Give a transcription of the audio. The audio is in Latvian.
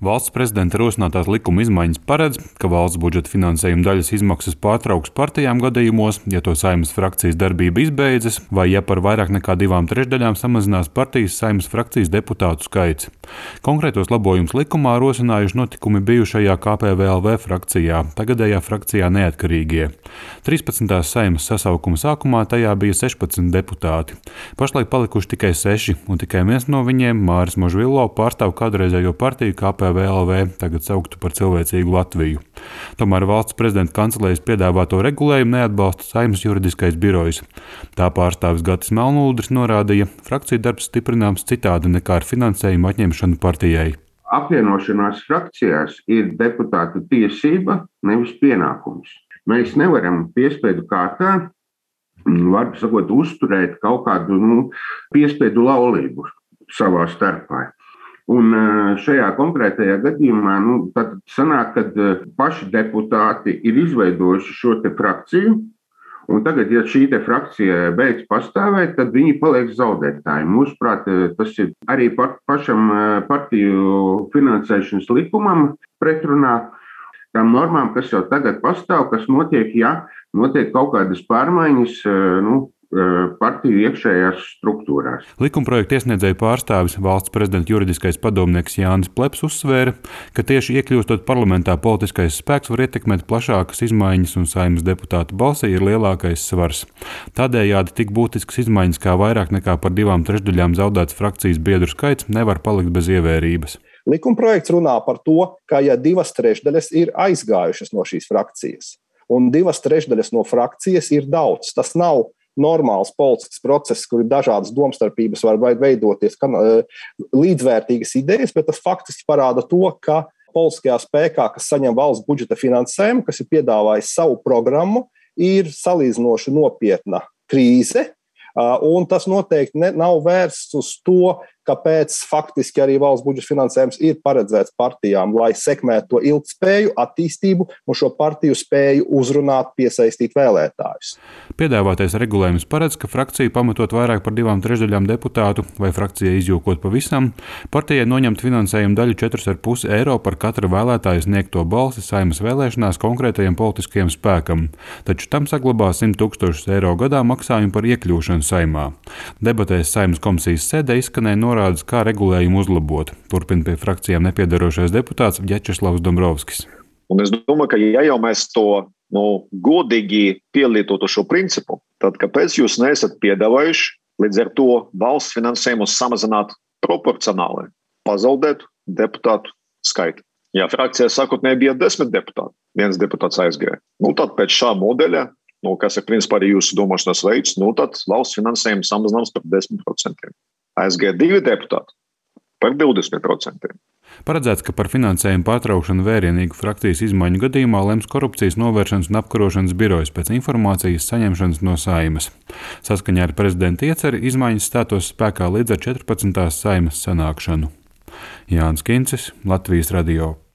Valsts prezidenta rosinātās likuma izmaiņas paredz, ka valsts budžeta finansējuma daļas izmaksas pārtrauks partijām gadījumos, ja to Saeimas frakcijas darbība izbeidzas, vai ja par vairāk nekā 2/3 samazinās partijas Saeimas frakcijas deputātu skaits. Konkrētos labojumus likumā rosinājuši notikumi bijušajā KPVLV frakcijā, tagadējā frakcijā Neatkarīgie. 13. Saeimas sasaukuma sākumā tajā bija 16 deputāti. Pašlaik palikuši tikai 6, un tikai viens no viņiem, Māris Možvilo, pārstāv kādreizējo partiju KPVLV, tagad sauktu par Cilvēcīgu Latviju. Tomēr valsts prezidenta kancelējas piedāvāto regulējumu neatbalsta Saeimas juridiskais birojs. Tā pārstāvis Gatis Melnūdris norādīja, frakciju darbs stiprināms citādi nekā ar finansējumu atņemšanu partijai. Apvienošanās frakcijās ir deputātu tiesība, nevis pienākums. Mēs nevaram piespiedu kārtā, varbūt sakot, uzturēt kaut kādu piespiedu laulību savā starpā. Un šajā konkrētajā gadījumā tad sanāk, ka paši deputāti ir izveidojuši šo te frakciju, un tagad, ja šī te frakcija beidz pastāvēt, tad viņi paliek zaudētāji. Mūsuprāt, tas ir arī pašam partiju finansēšanas likumam pretrunā tām normām, kas jau tagad pastāv, kas notiek, ja notiek kaut kādas pārmaiņas, partiju iekšējās struktūrās. Likumprojekta iesniedzēju pārstāvis valsts prezidenta juridiskais padomnieks Jānis Pleps uzsvēra, ka tieši iekļūstot parlamentā politiskais spēks var ietekmēt plašākas izmaiņas un Saeimas deputātu balsī ir lielākais svars. Tādējādi tik būtisks izmaiņas kā vairāk nekā par 2/3 zaudēts frakcijas biedru skaits nevar palikt bez ievērības. Likumprojekts runā par to, ka ja 2/3 ir aizgājušas no šīs frakcijas, un 2/3 no frakcijas ir daudz, tas nav normāls politisks process, kur ir dažādas domstarpības, var veidoties līdzvērtīgas idejas, bet tas faktiski parāda to, ka politiskajā spēkā, kas saņem valsts budžeta finansējumu, kas ir piedāvājis savu programmu, ir salīdzinoši nopietna krīze, un tas noteikti nav vērsts uz to, kāpēc faktiski arī valsts budžeta finansējums ir paredzēts partijām, lai sekmētu to ilgtspēju, attīstību un šo partiju spēju uzrunāt, piesaistīt vēlētājus. Piedāvātais regulējums paredz, ka frakcija pamatot vairāk par 2/3 deputātu vai frakcijai izjokot pavisam, partijai noņemt finansējumu daļu 4,5 eiro par katra vēlētāja sniegto balsi Saeimas vēlēšanās konkrētajam politiskajam spēkam, taču tam saglabā 100 000 eiro gadā maksājumu par iekļūšanu Saeimā. Debatēs Saeimas komisijas sēdē izskanēja norādes, kā regulējumu uzlabot. Turpina pie frakcijām nepiedarošais deputāts Vjačeslavs Dombrovskis. Un es domāju, ka ja jau mēs to godīgi pielietotu šo principu, tad kāpēc jūs neesat piedāvājuši līdz ar to valsts finansējumu samazināt proporcionāli, pazaudēt deputātu skaitu? Ja frakcijā sākotnēji bija 10 deputāti, viens deputāts aizgāja. Tad pēc šā modeļa, kas ir principā arī jūsu domāšanas veids, tad valsts finansējums samazināms par 10%. Aizgāja 2 deputāti par 20%. Paredzēts, ka par finansējumu pārtraukšanu vērienīgu frakcijas izmaiņu gadījumā lems korupcijas novēršanas un apkarošanas birojs pēc informācijas saņemšanas no Saeimas. Saskaņā ar prezidenta ieceri izmaiņas stātos spēkā līdz ar 14. Saeimas sanākšanu. Jānis Kincis, Latvijas radio.